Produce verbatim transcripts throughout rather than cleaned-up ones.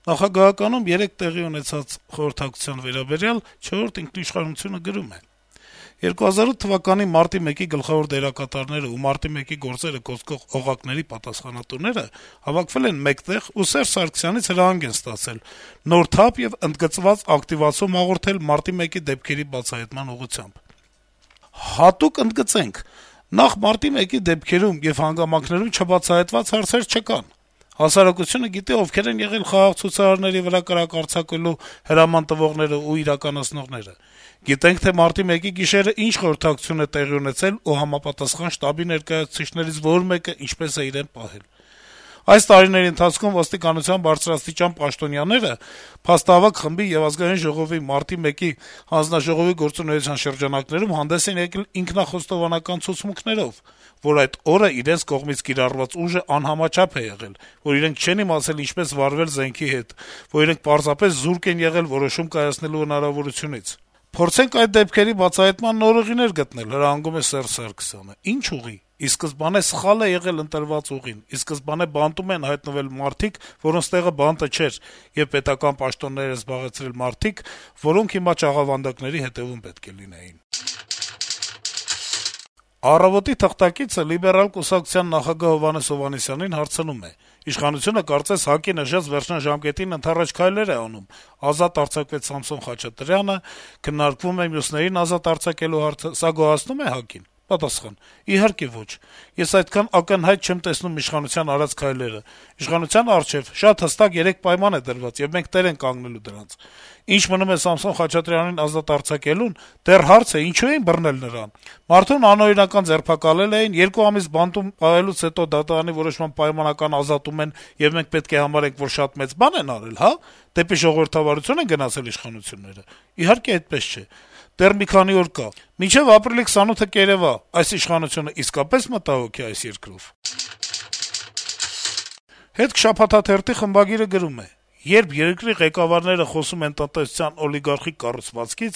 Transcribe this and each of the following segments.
Նախագահականում երեկ տեղի ունեցած խորհրդակցության վերաբերյալ «Չորրորդ ինքնիշխանություն»-ը գրում է. - «երկու հազար ութ թվականի մարտի մեկի գլխավոր դերակատարները ու մարտի մեկի գործերը կոծկող օղակների պատասխանատուները հավաքվել են մեկտեղ ու Սերժ Սարգսյանից հրահանգ են ստացել նոր թափ եւ ընդգծված ակտիվացում հաղորդել մարտի մեկի դեպքերի բացահայտման ուղղությամբ: Հատուկ ընդգծենք. նախ մարտի մեկի դեպքերում եւ հանգամանքներում չբացահայտված հարցեր չկան: Հասարակությունը գիտի ովքեր են եղել խաղաղ ցուցարարների վրա կրակ արձակելու հրաման տվողներն ու իրականացնողները: Գիտենք, թե մարտի մեկի գիշերը ինչ խորհրդակցություն է տեղի ունեցել ու համապատասխան շտաբի ներկայացուցիչներից որ մեկը ինչպես է իրեն պահել: Այս տարիների ընթացքում ոստիկանության բարձրաստիճան պաշտոնյաները փաստահավաք խմբի եւ Ազգային ժողովի մարտի մեկի հանձնաժողովի գործունեության շրջանակներում հանդես են եկել ինքնախոստովանական ցուցմունքներով, որ այդ օրը իրենց կողմից կիրառված ուժը անհամաչափ է եղել, որ իրենք չեն իմացել ինչպես վարվել զենքի հետ, որ իրենք պարզապես զուրկ են եղել որոշում կայացնելու հնարավորությունից: Փորձենք այդ դեպքերի բացահայտման նոր ուղիներ գտնել», - հրահանգում է Սերժ Սարգսյանը: - «Ի՞նչ ուղի: Ի սկզբանե սխալ է եղել ընտրված ուղին: Ի սկզբանե բանտում են հայտնվել մարդիկ, որոնց տեղը բանտը չէր, եւ պետական պաշտոններ են զբաղեցրել մարդիկ, որոնք հիմա չաղավանդակների հետեւում պետք է լինեին»: «Առավոտ»-ի թղթակիցը Լիբերալ կուսակցության նախագահ Հովհաննես Հովհաննիսյանին հարցնում է. - «Իշխանությունը կարծես ՀԱԿ-ի նշած վերջնաժամկետին ընդառաջ քայլեր է անում: Ազատ արձակվեց Սամսոն Խաչատրյանը, քննարկվում է մյուսներին ազատ արձակելու հարցը: Սա գոհացնո՞ւմ է ՀԱԿ-ին»: Պատասխան. - «Իհարկե ոչ: Ես այդքան ակնհայտ չեմ տեսնում իշխանության արած քայլերը: Իշխանության առջեւ շատ հստակ երեք պայման է դրված, եւ մենք տեր ենք կանգնելու դրանց: Ինչ մնում է Սամսոն Խաչատրյանին ազատ արձակելուն, դեռ հարց է` ինչո՞ւ էին բռնել նրան: Մարդուն անօրինական ձերբակալել էին, երկու ամիս բանտում պահելուց հետո դատարանի որոշմամբ պայմանական ազատում են, եւ մենք պետք է համարենք, որ շատ մեծ բան են արել, հա՞: Դեպի ժողովրդավարությո՞ւն են գնացել իշխանությունները: Իհարկե այդպես չէ: Դեռ մի քանի օր կա: Մինչեւ ապրիլի քսանութը կերեւա` այս իշխանությունը իսկապե՞ս մտահոգ է այս երկրով»: «Հետք» շաբաթաթերթի խմբագիրը գրում է. - «Երբ երկրի ղեկավարները խոսում են տնտեսության օլիգարխիկ կառուցվածքից,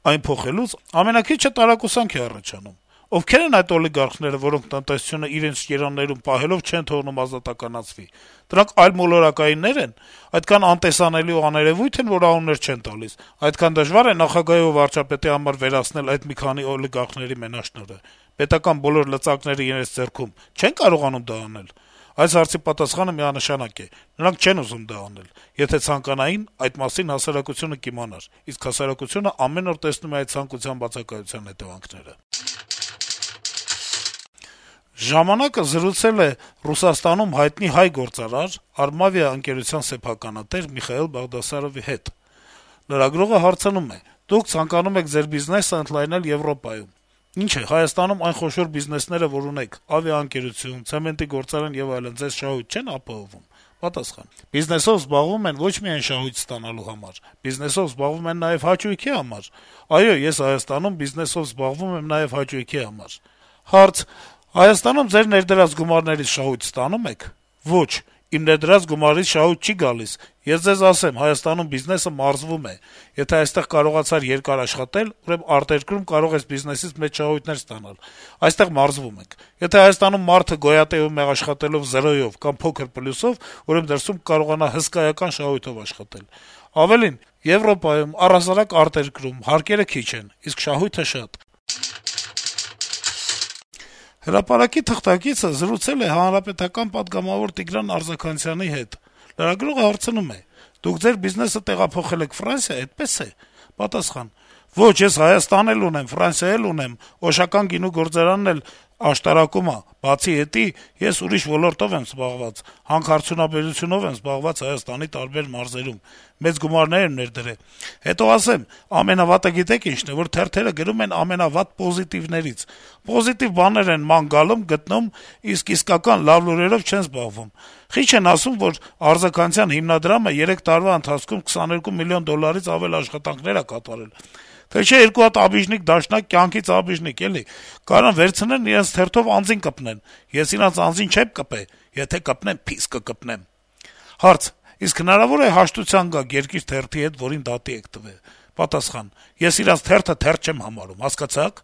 այն փոխելուց, ամենաքիչը տարակուսանք է առաջանում: Ովքեր են այդ օլիգարխները, որոնք տնտեսությունը իրենց երաններում պահելով չեն թողնում ազատականացվի: Դրանք այլմոլորակայիննե՞ր են: Այդքան անտեսանելի ու աներեւույթ են, որ անուններ չեն տալիս: Այդքան դժվա՞ր է նախագահի ու վարչապետի համար վերացնել այդ մի քանի օլիգարխների մենաշնորհը: Պետական բոլոր լծակները իրենց ձեռքում չե՞ն կարողանում դա անել: Այս հարցի պատասխանը միանշանակ է. նրանք չեն ուզում դա անել: Եթե ցանկանային, այդ մասին հասարակությունը կիմանար, իսկ հասարակությունը ամեն օր տեսնում է այդ ցանկության բացակայության հետեւանքները»: «Ժամանակ»-ը զրուցել է Ռուսաստանում հայտնի հայ գործարար, «Արմավիա» ընկերության սեփականատեր Միխայիլ Բաղդասարովի հետ: Լրագրողը հարցնում է. - «Դուք ցանկանում եք ձեր բիզնեսը ընդլայնել Եվրոպայում: Ինչ է, Հայաստանում այն խոշոր բիզնեսները, որ ունեք` ավիաընկերություն, ցեմենտի գործարան եւ այլն, ձեզ շահույթ չեն ապահովում»: Պատասխան. - «Բիզնեսով զբաղվում են ոչ միայն շահույթ ստանալու համար: Բիզնեսով զբաղվում են նաեւ հաճույքի համար: Այո, ես Հայաստանում բիզնեսով զբաղվում եմ նաեւ հաճույքի համար»: Հարց. - «Հայաստանում ձեր ներդրած գումարներից շահույթ ստանո՞ւմ եք»: Ոչ, իմ ներդրած գումարից շահույթ չի գալիս: Ես ձեզ ասեմ, Հայաստանում բիզնեսը մարզվում է: Եթե այստեղ կարողացար երկար աշխատել, ուրեմն արտերկրում կարող ես բիզնեսից մեծ շահույթներ ստանալ: Այստեղ մարզվում ենք: Եթե Հայաստանում մարդը գոյատեվում է աշխատելով զրոյով կամ փոքր պլյուսով, ուրեմն դրսում կկարողանա հսկայական շահույթով աշխատել: Ավելին, Եվրոպայում, առհասարակ արտերկրում հարկերը քիչ են, իսկ շահույթը շատ»: «Հրապարակ»-ի թղթակիցը զրուցել է Հանրապետական պատգամավոր Տիգրան Արձաքանցյանի հետ: Լրագրողը հարցնում է. - «Դուք ձեր բիզնեսը տեղափոխել եք Ֆրանսիա, այդպե՞ս է»: Պատասխան. - «Ոչ, ես Հայաստան էլ ունեմ, Ֆրանսիա էլ ունեմ, Օշական գինու գործարանն էլ աշտարակում ա: Բացի էդի, ես ուրիշ ոլորտով եմ զբաղված, հանքարդյունաբերությունով եմ զբաղված Հայաստանի տարբեր մարզերում, մեծ գումարներ եմ ներդրել: Հետո ասեմ, ամենավատը գիտե՞ք ինչն է, որ թերթերը գրում են ամենավատ պոզիտիվներից: Պոզիտիվ բաներ են ման գալում, գտնում, իսկ իսկական լավ լուրերով չեն զբաղվում: Խիչ են ասում, որ Արձաքանցյան հիմնադրամը երեք տարվա ընթացքում քսաներկու միլիոն դոլարից ավել աշխատանքներ ա կատարել: Թե չէ երկու հատ աբիժնիկ դաշնակ, կյանքից աբիժնիկ, էլի, կարան վերցնեն իրենց թերթով անձին կպնեն: Ես իրանց անձին չեմ կպե, եթե կպնեմ, փիս կկպնեմ»: Հարց. - «Իսկ հնարավո՞ր է հաշտության գաք «Երկիր» թերթի հետ, որին դատի եք տվել»: Պատասխան. - «Ես իրանց թերթը թերթ չեմ համարում, հասկացա՞ք»: